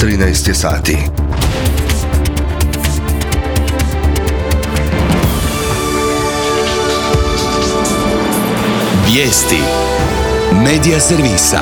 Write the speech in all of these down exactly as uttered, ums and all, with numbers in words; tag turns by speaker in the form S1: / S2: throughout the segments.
S1: trinaest je sati.
S2: Vijesti Medija servisa.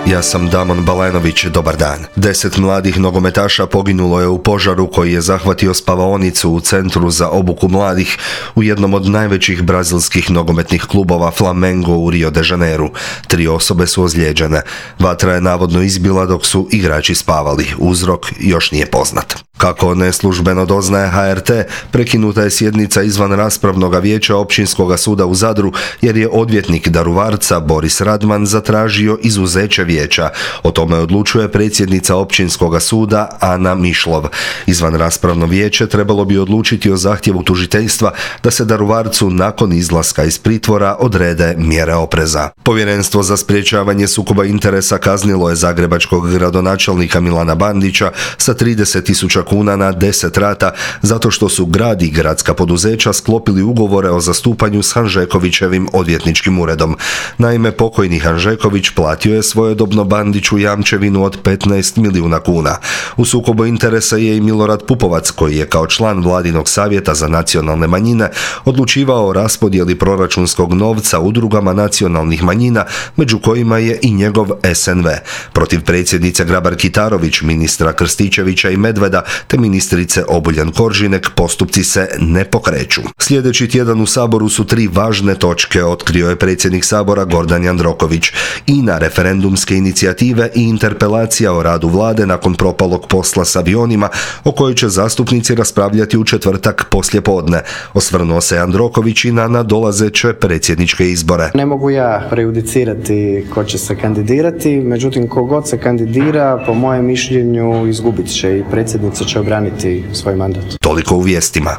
S1: Ja sam Damon Balenović, dobar dan. Deset mladih nogometaša poginulo je u požaru koji je zahvatio spavaonicu u centru za obuku mladih u jednom od najvećih brazilskih nogometnih klubova Flamengo u Rio de Janeiru. Tri osobe su ozlijeđene. Vatra je navodno izbila dok su igrači spavali. Uzrok još nije poznat. Kako neslužbeno doznaje H R T, prekinuta je sjednica izvan raspravnog vijeća Općinskog suda u Zadru jer je odvjetnik Daruvarca Boris Radman zatražio izuzeće vijeća. O tome odlučuje predsjednica Općinskog suda Ana Mišlov. Izvan raspravno vijeće trebalo bi odlučiti o zahtjevu tužiteljstva da se Daruvarcu nakon izlaska iz pritvora odrede mjere opreza. Povjerenstvo za sprječavanje sukoba interesa kaznilo je zagrebačkog gradonačelnika Milana Bandića sa trideset tisuća kuna na deset rata zato što su grad i gradska poduzeća sklopili ugovore o zastupanju s Hanžekovićevim odvjetničkim uredom. Naime, pokojni Hanžeković platio je svojedobno Bandiću jamčevinu od petnaest milijuna kuna. U sukobu interesa je i Milorad Pupovac, koji je kao član Vladinog savjeta za nacionalne manjine odlučivao o raspodjeli proračunskog novca udrugama nacionalnih manjina, među kojima je i njegov S N V. Protiv predsjednice Grabar-Kitarović, ministra Krstičevića i Medveda te ministrice Obuljen Koržinek postupci se ne pokreću. Sljedeći tjedan u Saboru su tri važne točke, otkrio je predsjednik Sabora Gordan Jandroković. I na referendumske inicijative i interpelacija o radu vlade nakon propalog posla s avionima, o kojoj će zastupnici raspravljati u četvrtak poslijepodne. Osvrnuo se Jandroković i na nadolazeće predsjedničke izbore.
S3: Ne mogu ja prejudicirati ko će se kandidirati, međutim kogod se kandidira, po mojem mišljenju, izgubit će i predsjednica će obraniti svoj mandat.
S1: Toliko u vijestima.